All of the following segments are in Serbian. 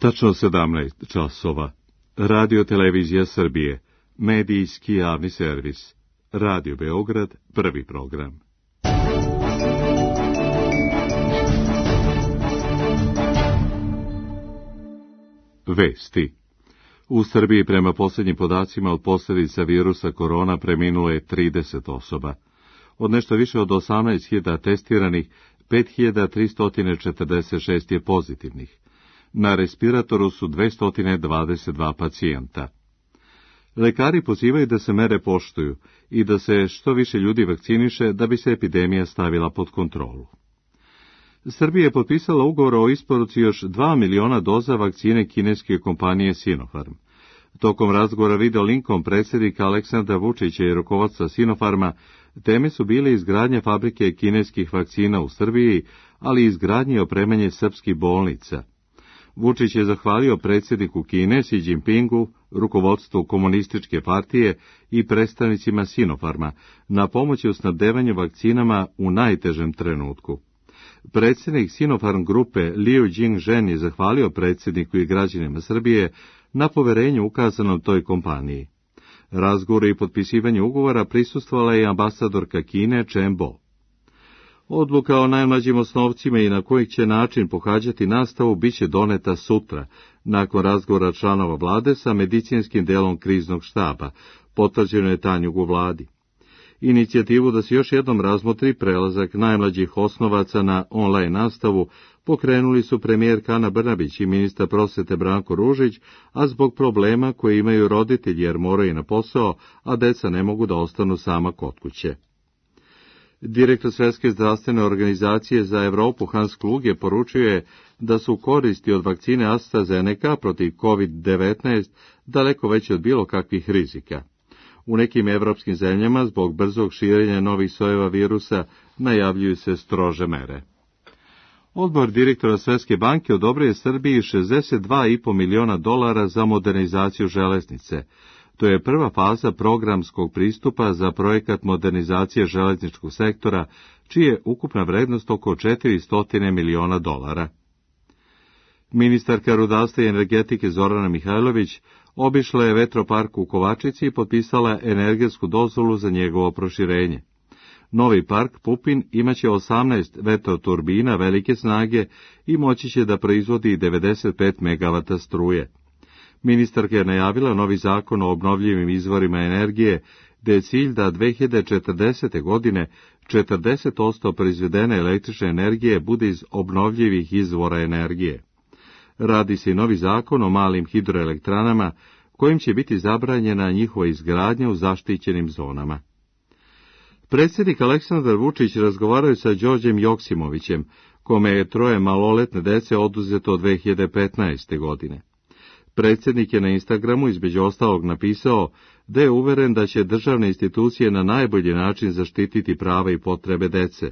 Tačno 17 časova. Radio Televizija Srbije. Medijski javni servis. Radio Beograd, prvi program. Vesti. U Srbiji prema posljednjim podacima od posljedica virusa korona preminulo je 30 osoba. Od nešto više od 18.000 testiranih, 5.346 je pozitivnih. Na respiratoru su 222 pacijenta. Lekari pozivaju da se mere poštuju i da se što više ljudi vakciniše da bi se epidemija stavila pod kontrolu. Srbija je potpisala ugovor o isporuci još 2 miliona doza vakcine kineske kompanije Sinopharm. Tokom razgovora video linkom predsjednika Aleksandra Vučića i rukovodstva Sinopharma, teme su bile izgradnja fabrike kineskih vakcina u Srbiji, ali i izgradnje i opremanje srpskih bolnica. Vučić je zahvalio predsjedniku Kine Xi Jinpingu, rukovodstvu komunističke partije i predstavnicima Sinopharma na pomoći u snabdevanju vakcinama u najtežem trenutku. Predsjednik Sinopharm grupe Liu Jingzhen je zahvalio predsjedniku i građanima Srbije na poverenju ukazanom toj kompaniji. Razgovoru i potpisivanju ugovora prisustvovala je ambasadorka Kine Chen Bo. Odluka o najmlađim osnovcima i na koji će način pohađati nastavu biće doneta sutra, nakon razgovora članova vlade sa medicinskim delom kriznog štaba, potvrđeno je Tanjug u vladi. Inicijativu da se još jednom razmotri prelazak najmlađih osnovaca na online nastavu pokrenuli su premijerka Ana Brnabić i ministar prosvete Branko Ružić, a zbog problema koje imaju roditelji jer moraju na posao, a deca ne mogu da ostanu sama kod kuće. Direktor Svjetske zdravstvene organizacije za Evropu Hans Kluge poručuje da su koristi od vakcine AstraZeneca protiv COVID-19 daleko veće od bilo kakvih rizika. U nekim evropskim zemljama zbog brzog širenja novih sojeva virusa najavljuju se strože mere. Odbor direktora Svjetske banke odobrio je Srbiji $62,5 miliona za modernizaciju železnice. To je prva faza programskog pristupa za projekat modernizacije železničkog sektora, čija je ukupna vrednost oko $400 miliona. Ministarka rudarstva i energetike Zorana Mihajlović obišla je vetropark u Kovačici i potpisala energetsku dozvolu za njegovo proširenje. Novi park Pupin imaće 18 vetroturbina velike snage i moći će da proizvodi 95 MW struje. Ministarka je najavila novi zakon o obnovljivim izvorima energije, gde je cilj da 2040. godine 40% proizvedene električne energije bude iz obnovljivih izvora energije. Radi se i novi zakon o malim hidroelektranama, kojim će biti zabranjena njihova izgradnja u zaštićenim zonama. Predsjednik Aleksandar Vučić razgovarao sa Đorđem Joksimovićem, kome je 3 maloletne dece oduzeto od 2015. godine. Predsjednik je na Instagramu između ostalog napisao da je uveren da će državne institucije na najbolji način zaštititi prava i potrebe dece.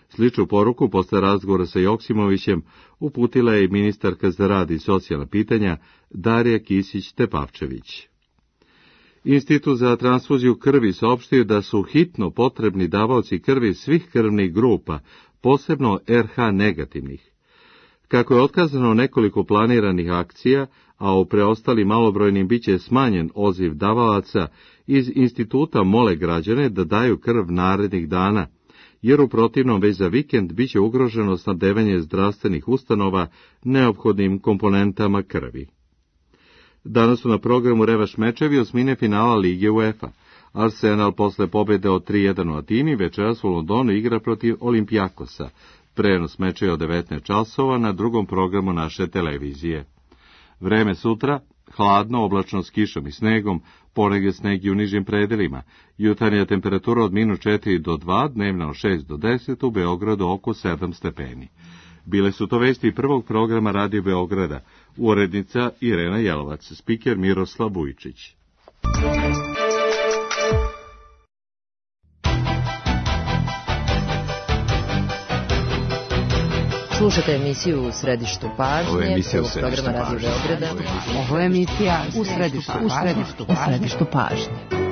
Sličnu poruku posle razgovora sa Joksimovićem uputila je i ministarka za rad i socijalna pitanja Darija Kisić-Tepavčević. Institut za transfuziju krvi saopštio da su hitno potrebni davaoci krvi svih krvnih grupa, posebno RH negativnih. Kako je otkazano nekoliko planiranih akcija, a u preostalim malobrojnim biće smanjen odziv davalaca, iz instituta mole građane da daju krv narednih dana, jer u protivnom već za vikend biće ugroženo snabdevanje zdravstvenih ustanova neophodnim komponentama krvi. Danas su na programu revaš mečevi osmine finala Lige UEFA. Arsenal posle pobjede od 3:1 u Atini večeras u Londonu igra protiv Olimpijakosa. Prenos meča je od 19 časova na drugom programu naše televizije. Vreme sutra, hladno, oblačno s kišom i snegom, ponegdje sneg i u nižim predelima. Jutarnja temperatura od -4 do 2, dnevna od 6 do 10, u Beogradu oko 7 stepeni. Bile su to vesti prvog programa Radio Beograda, urednica Irena Jelovac, spiker Miroslav Vujčić. Slušate emisiju U središtu pažnje, prvog programa Radio Beograda. Ovo je emisija U središtu pažnje.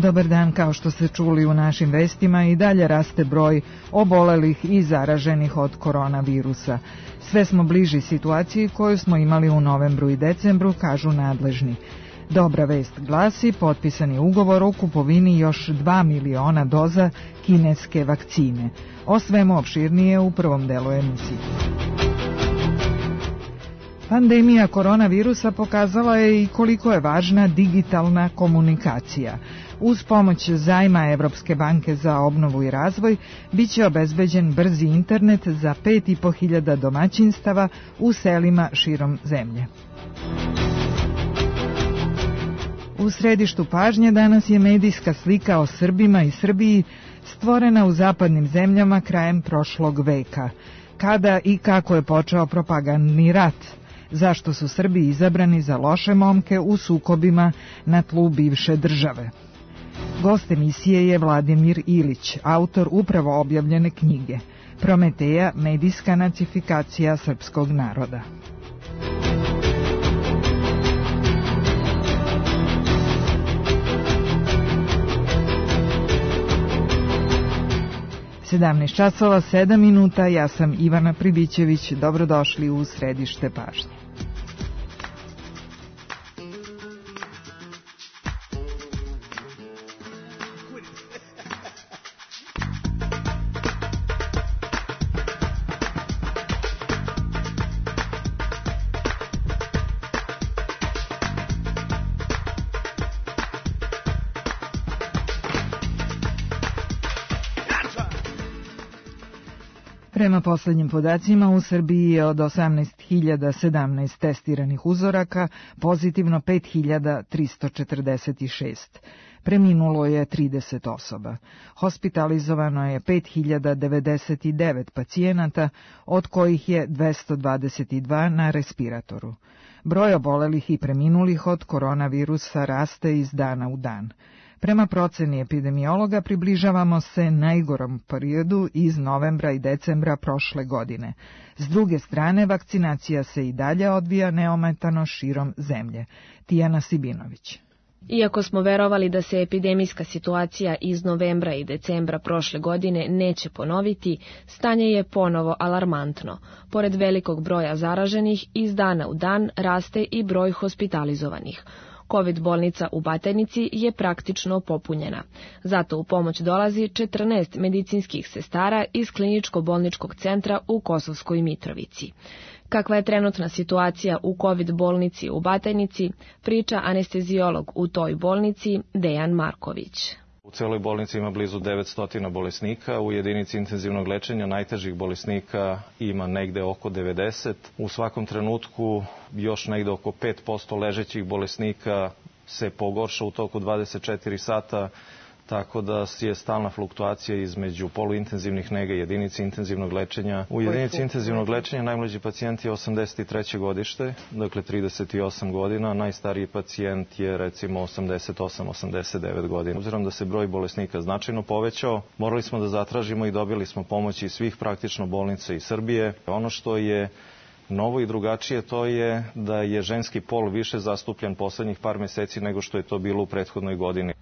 Dobar dan, kao što ste čuli u našim vestima, i dalje raste broj obolelih i zaraženih od koronavirusa. Sve smo bliži situaciji koju smo imali u novembru i decembru, kažu nadležni. Dobra vest glasi potpisani ugovor o kupovini još 2 miliona doza kineske vakcine. O svemu opširnije u prvom delu emisije. Pandemija koronavirusa pokazala je i koliko je važna digitalna komunikacija. Uz pomoć zajma Evropske banke za obnovu i razvoj biće obezbeđen brzi internet za 5.500 domaćinstava u selima širom zemlje. U središtu pažnje danas je medijska slika o Srbima i Srbiji stvorena u zapadnim zemljama krajem prošlog veka. Kada i kako je počeo propagandni rat? Zašto su Srbi izabrani za loše momke u sukobima na tlu bivše države? Gost emisije je Vladimir Ilić, autor upravo objavljene knjige Prometeja, medijska nacifikacija srpskog naroda. časova 7 minuta, ja sam Ivana Pribićević, dobrodošli u središte pažnje. Prema poslednjim podacima, u Srbiji je od 18.017 testiranih uzoraka pozitivno 5.346. Preminulo je 30 osoba. Hospitalizovano je 5.099 pacijenata, od kojih je 222 na respiratoru. Broj obolelih i preminulih od koronavirusa raste iz dana u dan. Prema proceni epidemiologa približavamo se najgorom periodu iz novembra i decembra prošle godine. S druge strane, vakcinacija se i dalje odvija neometano širom zemlje. Tijana Sibinović. Iako smo verovali da se epidemijska situacija iz novembra i decembra prošle godine neće ponoviti, stanje je ponovo alarmantno. Pored velikog broja zaraženih, iz dana u dan raste i broj hospitalizovanih. COVID bolnica u Batajnici je praktično popunjena. Zato u pomoć dolazi 14 medicinskih sestara iz kliničko-bolničkog centra u Kosovskoj Mitrovici. Kakva je trenutna situacija u COVID bolnici u Batajnici, priča anesteziolog u toj bolnici Dejan Marković. U celoj bolnici ima blizu 900 bolesnika, u jedinici intenzivnog lečenja najtežih bolesnika ima negde oko 90. U svakom trenutku još negde oko 5% ležećih bolesnika se pogorša u toku 24 sata, tako da je stalna fluktuacija između poluintenzivnih nega i jedinici intenzivnog lečenja. U jedinici intenzivnog lečenja najmlađi pacijent je 83. godište, dakle 38 godina, najstariji pacijent je recimo 88-89 godina. Obzirom da se broj bolesnika značajno povećao, morali smo da zatražimo i dobili smo pomoć iz svih praktično bolnica iz Srbije. Ono što je novo i drugačije to je da je ženski pol više zastupljen poslednjih par meseci nego što je to bilo u prethodnoj godini.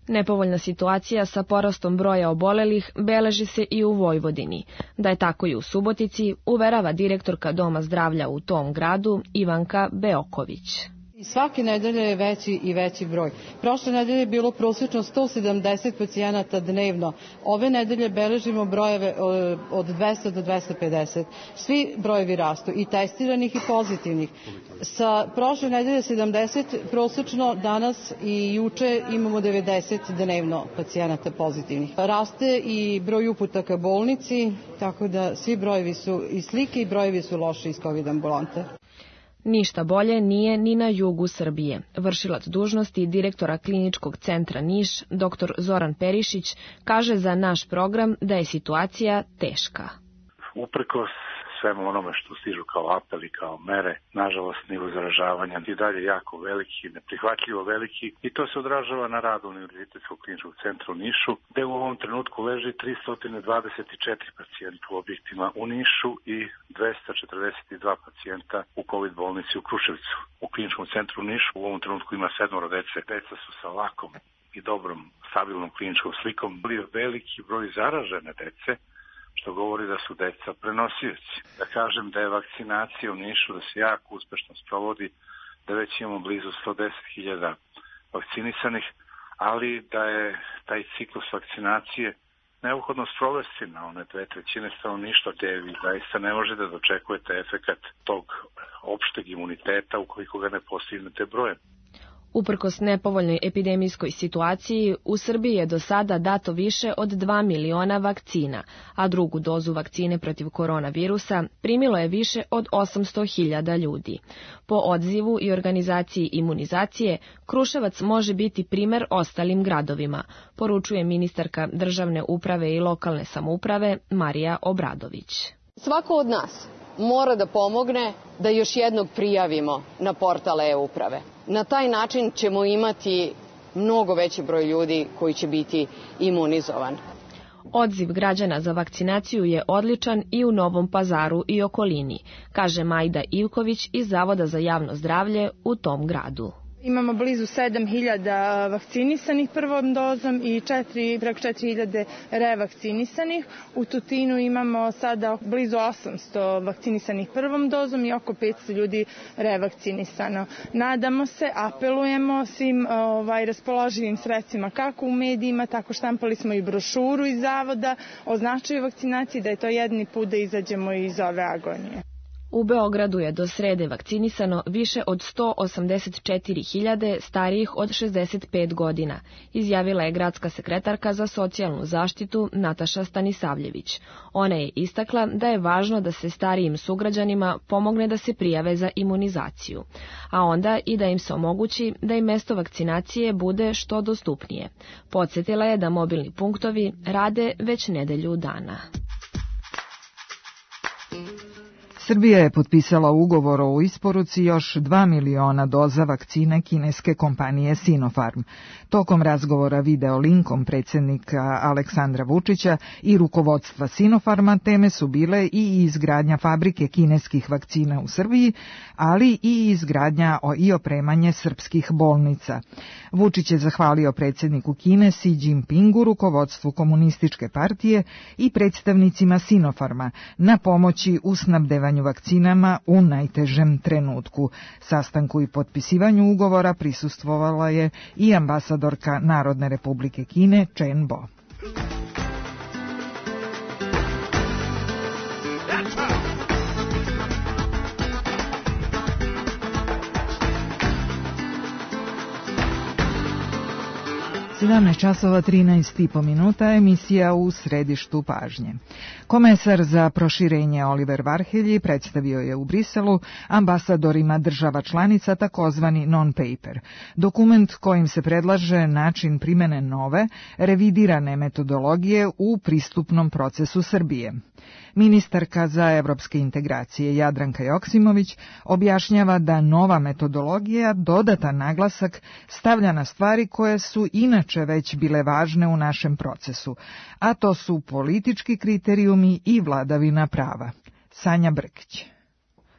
Nepovoljna situacija sa porastom broja obolelih beleži se i u Vojvodini. Da je tako i u Subotici, uverava direktorka Doma zdravlja u tom gradu Ivanka Beoković. Svake nedelje je veći i veći broj. Prošle nedelje je bilo prosječno 170 pacijenata dnevno. Ove nedelje beležimo brojeve od 200 do 250. Svi brojevi rastu, i testiranih i pozitivnih. Sa prošle nedelje 70, prosječno danas i juče imamo 90 dnevno pacijenata pozitivnih. Raste i broj uputa ka bolnici, tako da svi brojevi su i slike i brojevi su loši iz COVID ambulante. Ništa bolje nije ni na jugu Srbije. Vršilac dužnosti direktora kliničkog centra Niš, dr. Zoran Perišić, kaže za naš program da je situacija teška. Uprkos svemu onome što stižu kao apeli, kao mere, nažalost nivo zaražavanja i dalje jako veliki, neprihvatljivo veliki, i to se odražava na radu Univerzitetskog kliničkog centra u Nišu, gde u ovom trenutku leži 324 pacijenta u objektima u Nišu i 242 pacijenta u COVID bolnici u Kruševcu. U kliničkom centru u Nišu u ovom trenutku ima 7 dece. Deca su sa lakom i dobrom, stabilnom kliničkom slikom, bio veliki broj zaražene dece, što govori da su deca prenosioci. Da kažem da je vakcinacija u Nišu, da se jako uspešno sprovodi, da već imamo blizu 110.000 vakcinisanih, ali da je taj ciklus vakcinacije neophodno sprovesti na one 2/3 stanovništva, gde vi zaista ne možete da dočekujete efekat tog opšteg imuniteta ukoliko ga ne postignete brojem. Uprkos nepovoljnoj epidemijskoj situaciji, u Srbiji je do sada dato više od 2 miliona vakcina, a drugu dozu vakcine protiv koronavirusa primilo je više od 800.000 ljudi. Po odzivu i organizaciji imunizacije, Kruševac može biti primer ostalim gradovima, poručuje ministarka državne uprave i lokalne samouprave Marija Obradović. Svako od nas mora da pomogne da još jednog prijavimo na portal e-uprave. Na taj način ćemo imati mnogo veći broj ljudi koji će biti imunizovan. Odziv građana za vakcinaciju je odličan i u Novom Pazaru i okolini, kaže Majda Ivković iz Zavoda za javno zdravlje u tom gradu. Imamo blizu 7.000 vakcinisanih prvom dozom i preko 4.000 revakcinisanih. U Tutinu imamo sada blizu 800 vakcinisanih prvom dozom i oko 500 ljudi revakcinisano. Nadamo se, apelujemo svim raspoloživim sredstvima, kako u medijima, tako štampali smo i brošuru iz Zavoda o značaju vakcinacije, da je to jedini put da izađemo iz ove agonije. U Beogradu je do srede vakcinisano više od 184.000 starijih od 65 godina, izjavila je gradska sekretarka za socijalnu zaštitu Nataša Stanisavljević. Ona je istakla da je važno da se starijim sugrađanima pomogne da se prijave za imunizaciju, a onda i da im se omogući da im mesto vakcinacije bude što dostupnije. Podsjetila je da mobilni punktovi rade već nedelju dana. Srbija je potpisala ugovor o isporuci još 2 miliona doza vakcine kineske kompanije Sinopharm. Tokom razgovora video linkom predsjednika Aleksandra Vučića i rukovodstva Sinopharma teme su bile i izgradnja fabrike kineskih vakcina u Srbiji, ali i izgradnja i opremanje srpskih bolnica. Vučić je zahvalio predsjedniku Kine Xi Jinpingu, rukovodstvu komunističke partije i predstavnicima Sinopharma na pomoći u snabdevanju vakcinama u najtežem trenutku. Sastanku i potpisivanju ugovora prisustvovala je i ambasadorka Narodne republike Kine Chen Bo. časova 13,5 minuta, emisija u središtu pažnje. Komesar za proširenje Oliver Varhelji predstavio je u Briselu ambasadorima država članica takozvani non-paper, dokument kojim se predlaže način primene nove, revidirane metodologije u pristupnom procesu Srbije. Ministarka za evropske integracije Jadranka Joksimović objašnjava da nova metodologija dodatan naglasak stavlja na stvari koje su inače već bile važne u našem procesu, a to su politički kriterijumi i vladavina prava. Sanja Brkić.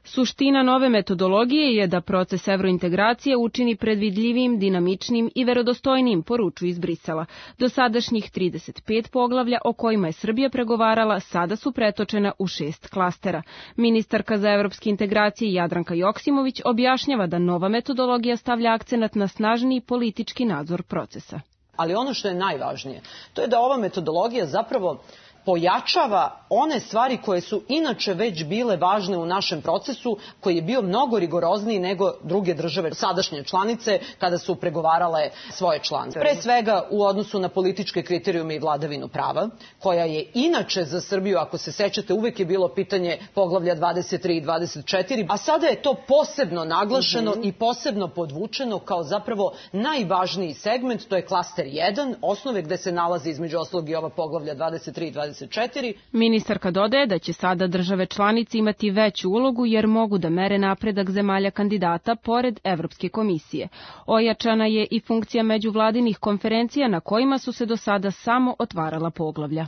Suština nove metodologije je da proces evrointegracije učini predvidljivim, dinamičnim i verodostojnim, poručuju iz Brisela. Dosadašnjih 35 poglavlja o kojima je Srbija pregovarala sada su pretočena u 6 klastera. Ministarka za evropske integracije Jadranka Joksimović objašnjava da nova metodologija stavlja akcenat na snažniji politički nadzor procesa. Ali ono što je najvažnije, to je da ova metodologija zapravo pojačava one stvari koje su inače već bile važne u našem procesu, koji je bio mnogo rigorozniji nego druge države, sadašnje članice, kada su pregovarale svoje članstvo. Pre svega u odnosu na političke kriterijume i vladavinu prava, koja je inače za Srbiju, ako se sećate, uvek je bilo pitanje poglavlja 23 i 24, a sada je to posebno naglašeno i posebno podvučeno kao zapravo najvažniji segment, to je klaster 1, osnove gde se nalazi između ostalog i ova poglavlja 23 i 24. Ministarka dodaje da će sada države članice imati veću ulogu jer mogu da mere napredak zemalja kandidata pored Evropske komisije. Ojačana je i funkcija međuvladinih konferencija na kojima su se do sada samo otvarala poglavlja.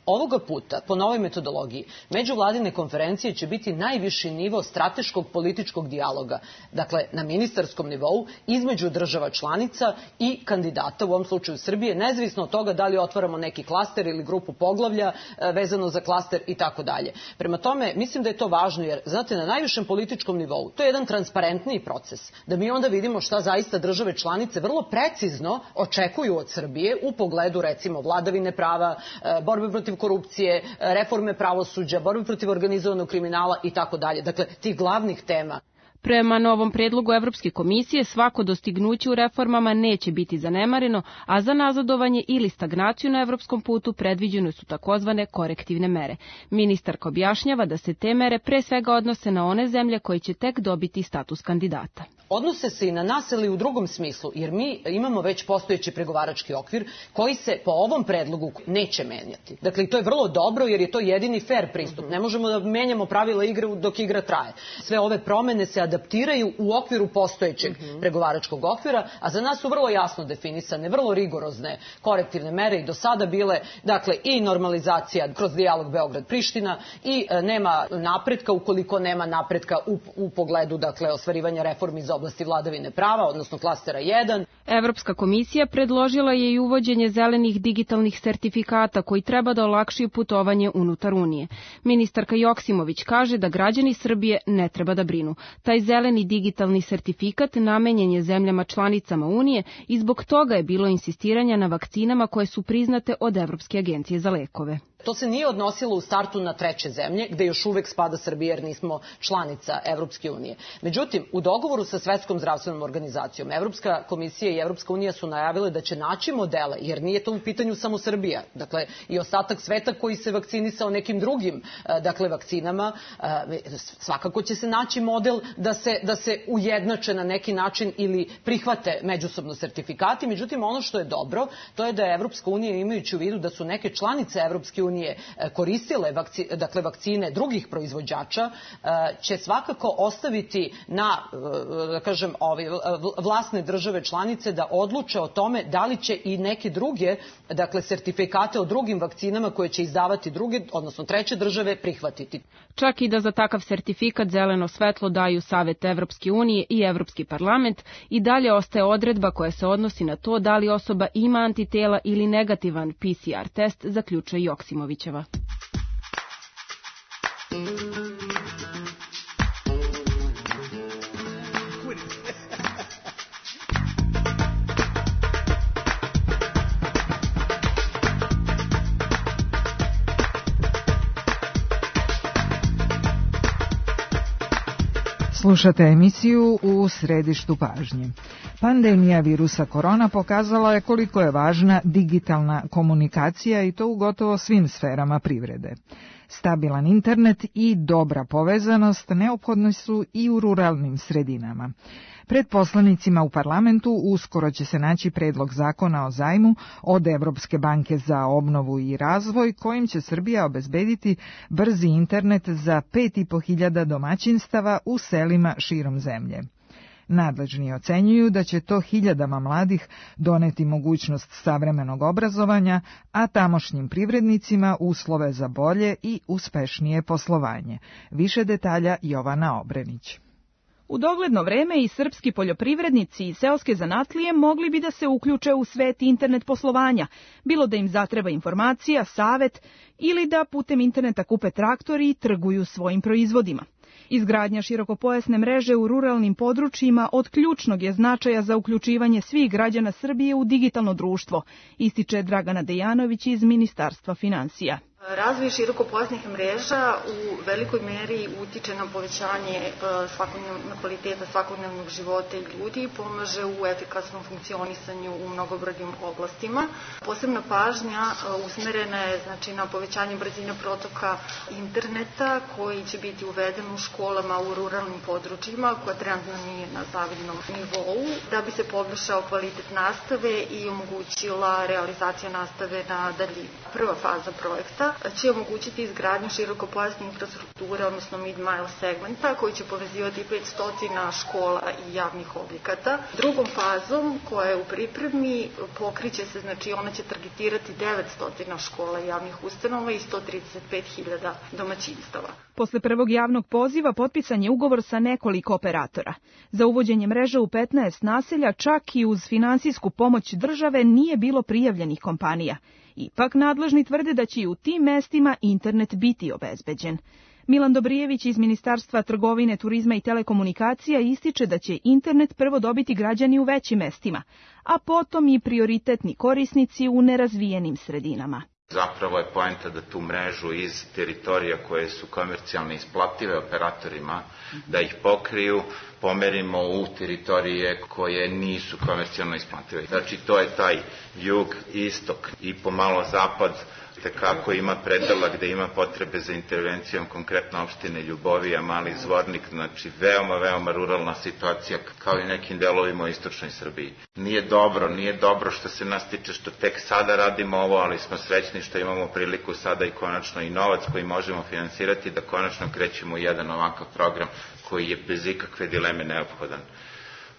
Ovoga puta, po novoj metodologiji, međuvladine konferencije će biti najviši nivo strateškog političkog dijaloga, dakle na ministarskom nivou, između država članica i kandidata, u ovom slučaju Srbije, nezavisno od toga da li otvaramo neki klaster ili grupu poglavlja vezano za klaster i tako dalje. Prema tome, mislim da je to važno, jer, znate, na najvišem političkom nivou, to je jedan transparentniji proces, da mi onda vidimo šta zaista države članice vrlo precizno očekuju od Srbije u pogledu, recimo, vladavine prava, borbe protiv korupcije, reforme pravosuđa, borbe protiv organizovanog kriminala i tako dalje. Dakle, tih glavnih tema. Prema novom predlogu Evropske komisije, svako dostignuće u reformama neće biti zanemareno, a za nazadovanje ili stagnaciju na evropskom putu predviđene su takozvane korektivne mere. Ministarka objašnjava da se te mere pre svega odnose na one zemlje koje će tek dobiti status kandidata. Odnose se i na nas, ali u drugom smislu, jer mi imamo već postojeći pregovarački okvir koji se po ovom predlogu neće menjati. Dakle, to je vrlo dobro jer je to jedini fair pristup. Ne možemo da menjamo pravila igre dok igra traje. Sve ove promene se adaptiraju u okviru postojećeg pregovaračkog okvira, a za nas su vrlo jasno definisane, vrlo rigorozne korektivne mere i do sada bile, dakle, i normalizacija kroz dijalog Beograd-Priština i nema napretka ukoliko nema napretka u pogledu, dakle, ostvarivanja reformi za oblasti vladavine prava, odnosno klastera 1. Evropska komisija predložila je i uvođenje zelenih digitalnih sertifikata koji treba da olakšaju putovanje unutar Unije. Ministarka Joksimović kaže da građani Srbije ne treba da brinu. Taj zeleni digitalni sertifikat namenjen je zemljama članicama Unije i zbog toga je bilo insistiranja na vakcinama koje su priznate od Evropske agencije za lekove. To se nije odnosilo u startu na treće zemlje, gde još uvek spada Srbija jer nismo članica Evropske unije. Međutim, u dogovoru sa Svetskom zdravstvenom organizacijom, Evropska komisija i Evropska unija su najavile da će naći modele, jer nije to u pitanju samo Srbija. Dakle, i ostatak sveta koji se vakcinisao nekim drugim, dakle, vakcinama, svakako će se naći model da se ujednače na neki način ili prihvate međusobno sertifikati. Međutim, ono što je dobro, to je da je Evropska unija, imajući u vidu da su neke članice Evropske unije koristile vakcine drugih proizvođača, će svakako ostaviti na, da kažem, vlasne države članice da odluče o tome da li će i neke druge, dakle, sertifikate o drugim vakcinama koje će izdavati druge, odnosno treće države, prihvatiti. Čak i da za takav sertifikat zeleno svetlo daju Savet Evropske unije i Evropski parlament, i dalje ostaje odredba koja se odnosi na to da li osoba ima antitela ili negativan PCR test, zaključuje Joksimovićeva. Slušate emisiju U središtu pažnje. Pandemija virusa korona pokazala je koliko je važna digitalna komunikacija i to u gotovo svim sferama privrede. Stabilan internet i dobra povezanost neophodni su i u ruralnim sredinama. Pred poslanicima u parlamentu uskoro će se naći predlog zakona o zajmu od Evropske banke za obnovu i razvoj, kojim će Srbija obezbediti brzi internet za 5.500 domaćinstava u selima širom zemlje. Nadležni ocenjuju da će to hiljadama mladih doneti mogućnost savremenog obrazovanja, a tamošnjim privrednicima uslove za bolje i uspešnije poslovanje. Više detalja Jovana Obrenić. U dogledno vreme i srpski poljoprivrednici i seoske zanatlije mogli bi da se uključe u svet internet poslovanja, bilo da im zatreba informacija, savet ili da putem interneta kupe traktori i trguju svojim proizvodima. Izgradnja širokopojasne mreže u ruralnim područjima od ključnog je značaja za uključivanje svih građana Srbije u digitalno društvo, ističe Dragana Dejanović iz Ministarstva finansija. Razvoj širokopojasnih mreža u velikoj meri utiče na povećanje kvaliteta svakodnevnog života ljudi, pomaže u efikasnom funkcionisanju u mnogobrojnim oblastima. Posebna pažnja usmerena je na povećanje brzine protoka interneta koji će biti uveden u školama u ruralnim područjima koja trenutno nije na zavidnom nivou, da bi se poboljšao kvalitet nastave i omogućila realizacija nastave na daljinu. Prva faza projekta mreža će omogućiti izgradnju širokopojasne infrastrukture, odnosno mid-mile segmenta, koji će povezivati 500 škola i javnih objekata. Drugom fazom, koja je u pripremi, pokriće se, znači ona će targetirati 900 škola i javnih ustanova i 135.000 domaćinstava. Posle prvog javnog poziva potpisan je ugovor sa nekoliko operatora. Za uvođenje mreže u 15 naselja, čak i uz finansijsku pomoć države, nije bilo prijavljenih kompanija. Ipak nadležni tvrde da će i u tim mestima internet biti obezbeđen. Milan Dobrijević iz Ministarstva trgovine, turizma i telekomunikacija ističe da će internet prvo dobiti građani u većim mestima, a potom i prioritetni korisnici u nerazvijenim sredinama. Zapravo je poenta da tu mrežu iz teritorija koje su komercijalno isplative operatorima, da ih pokriju, pomerimo u teritorije koje nisu komercijalno isplative. Znači to je taj jug, istok i pomalo zapad, tekako ima predela gde ima potrebe za intervencijom, konkretno opštine Ljubovija, Mali Zvornik, znači veoma ruralna situacija kao i nekim delovima u istočnoj Srbiji. Nije dobro što se nas tiče što tek sada radimo ovo, ali smo srećni što imamo priliku sada i konačno i novac koji možemo finansirati da konačno krećemo u jedan ovakav program koji je bez ikakve dileme neophodan.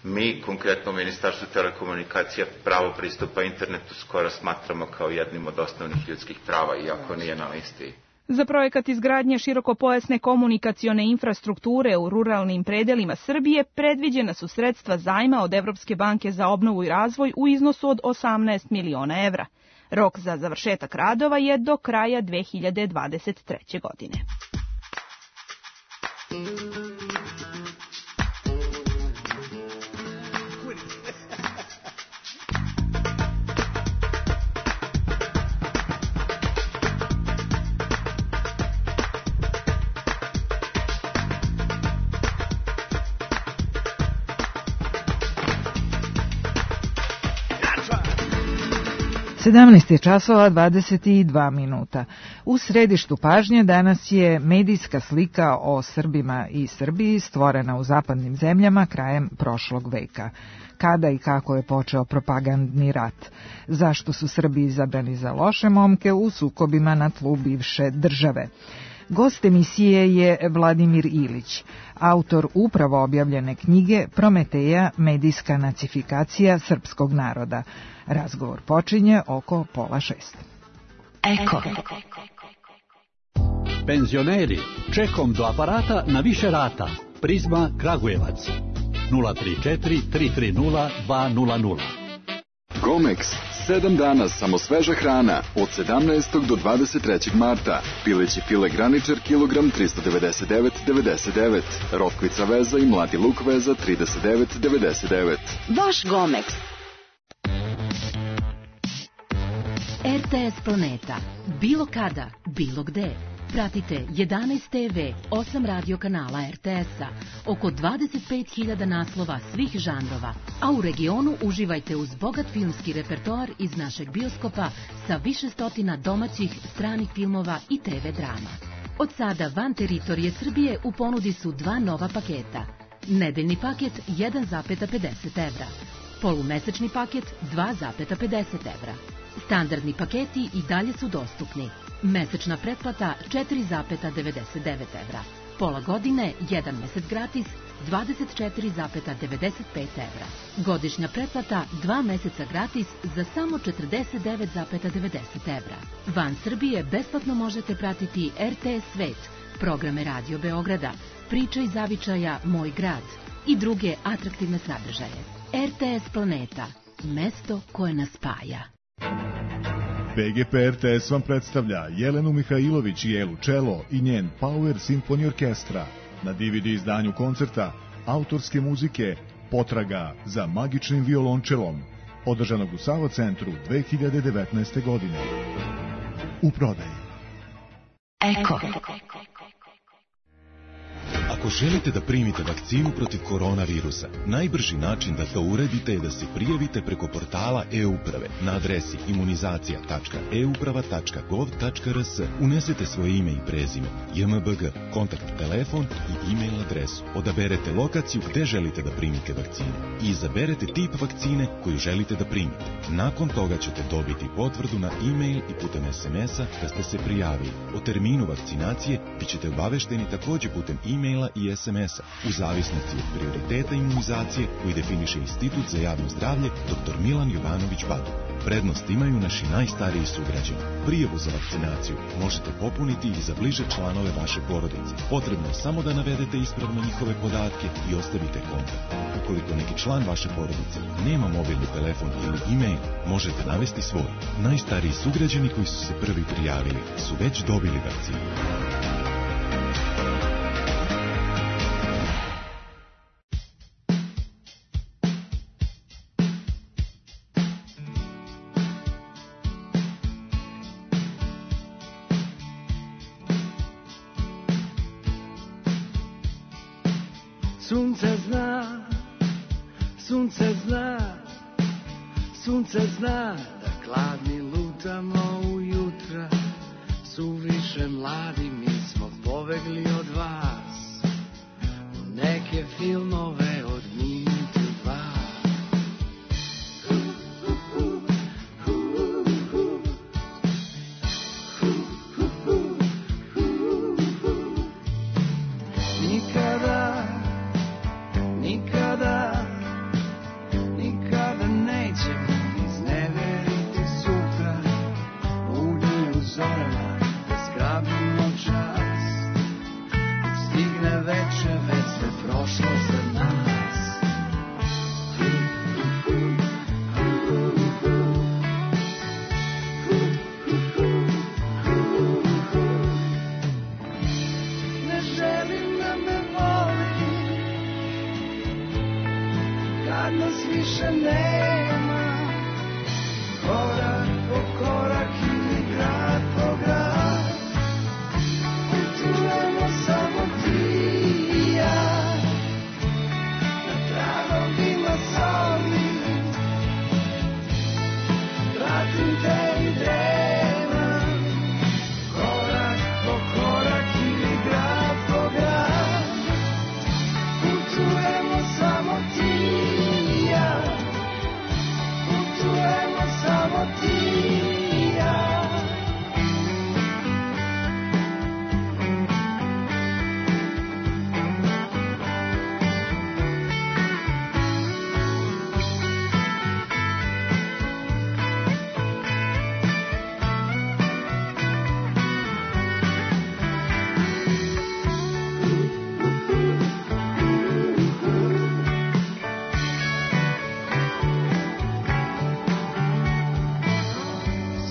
Mi, konkretno u Ministarstvu telekomunikacija, pravo pristupa internetu skoro smatramo kao jednim od osnovnih ljudskih prava, iako nije na listi. Za projekat izgradnje širokopojasne komunikacione infrastrukture u ruralnim predelima Srbije predviđena su sredstva zajma od Evropske banke za obnovu i razvoj u iznosu od 18 miliona evra. Rok za završetak radova je do kraja 2023. godine. Sedamnaest časova 22 minuta. U središtu pažnje danas je medijska slika o Srbima i Srbiji stvorena u zapadnim zemljama krajem prošlog veka. Kada i kako je počeo propagandni rat? Zašto su Srbi izabrani za loše momke u sukobima na tlu bivše države? Gost emisije je Vladimir Ilić, autor upravo objavljene knjige Prometeja, medijska nacifikacija srpskog naroda. Razgovor počinje oko 5:30. Eko. Penzioneri, čekom do aparata na više rata. Prizma Kragujevac. 034 330 200. Gomex, 7 dana samo sveža hrana, od 17. do 23. marta. Pileći file graničar, kilogram 399,99. Rotkvica veza i mladi luk veza 39,99. Vaš Gomex. RTS Planeta. Bilo kada, bilo gde. Pratite 11 TV, 8 radio kanala RTS-a, oko 25.000 naslova svih žanrova, a u regionu uživajte uz bogat filmski repertoar iz našeg bioskopa sa više stotina domaćih, stranih filmova i TV drama. Od sada van teritorije Srbije u ponudi su 2 nova paketa. Nedeljni paket 1,50 evra, polumesečni paket 2,50 evra. Standardni paketi i dalje su dostupni. Mesečna pretplata 4,99 evra. Pola godine, 1 mesec gratis, 24,95 evra. Godišnja pretplata 2 meseca gratis za samo 49,90 evra. Van Srbije besplatno možete pratiti RTS Svet, programe Radio Beograda, Priče iz zavičaja Moj grad i druge atraktivne sadržaje. RTS Planeta, mesto koje nas spaja. BGP RTS vam predstavlja Jelenu Mihajlović i Elu Čelo i njen Power Symphony Orkestra na DVD izdanju koncerta autorske muzike Potraga za magičnim violončelom, održanog u Sava centru 2019. godine. U prodaji. Eko. Ako želite da primite vakcinu protiv koronavirusa, najbrži način da to uradite je da se prijavite preko portala e-uprave na adresi imunizacija.euprava.gov.rs. Unesete svoje ime i prezime, JMBG, kontakt telefon i e-mail adresu. Odaberete lokaciju gde želite da primite vakcinu i izaberete tip vakcine koju želite da primite. Nakon toga ćete dobiti potvrdu na e-mail i putem SMS-a da ste se prijavili. O terminu vakcinacije bit ćete obavešteni takođe putem e-maila i SMS-a, u zavisnosti od prioriteta imunizacije koji definiše Institut za javno zdravlje dr. Milan Jovanović Badu. Prednost imaju naši najstariji sugrađani. Prijavu za vakcinaciju možete popuniti i za bliže članove vaše porodice. Potrebno je samo da navedete ispravno njihove podatke i ostavite kontakt. Ukoliko neki član vaše porodice nema mobilni telefon ili e-mail, možete navesti svoj. Najstariji sugrađani koji su se prvi prijavili su već dobili vakcinu. Sunce zna da gladni lutamo ujutra, suviše mladi mi smo pobegli od vas, u neke filmove od minutu dva. Nikada nećemo izneveriti sutra, budi u zorama da zgrabimo čas, dok stigne veče, već sve prošlo za nas. Ne želim da me voli kad nas više nema, korak po korak ili grad po grad, putujemo samo ti i ja, na tragovima zoli, pratim te i dremam, korak po korak ili grad po grad, putujemo samo ti i ja, putujemo samo ti i ja.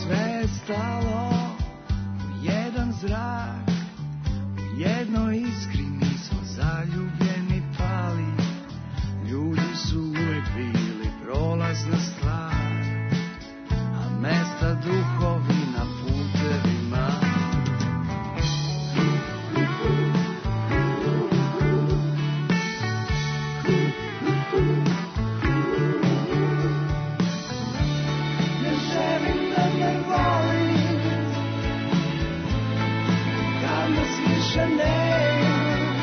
Sve je stalo u jedan zrak, u jednoj iskri mi smo zaljubljeni pali, ljudi su uvek bili prolazna stvar, a mesta duhovi na putevima. Ne želim da me voli kad nas više nema,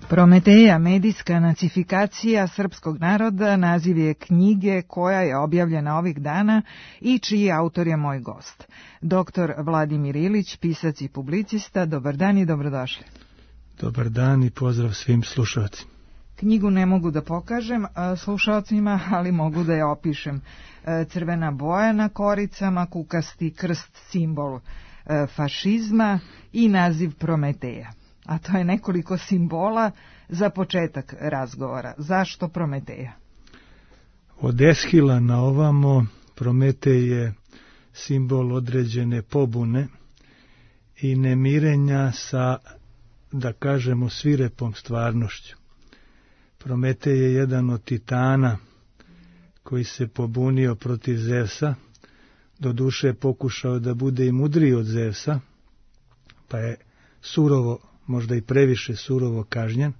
Prometeja, medijska nacifikacija srpskog naroda, naziv je knjige koja je objavljena ovih dana i čiji autor je moj gost. Dr. Vladimir Ilić, pisac i publicista. Dobar dan i dobrodošli. Dobar dan i pozdrav svim slušalcima. Knjigu ne mogu da pokažem slušalcima, ali mogu da je opišem. Crvena boja na koricama, kukasti krst, simbol fašizma i naziv Prometeja. A to je nekoliko simbola za početak razgovora. Zašto Prometeja? Od Eshila na ovamo Prometej je simbol određene pobune i nemirenja sa, da kažemo, svirepom stvarnošću. Prometej je jedan od titana koji se pobunio protiv Zevsa, doduše pokušao da bude i mudriji od Zevsa, pa je surovo, možda i previše surovo kažnjen,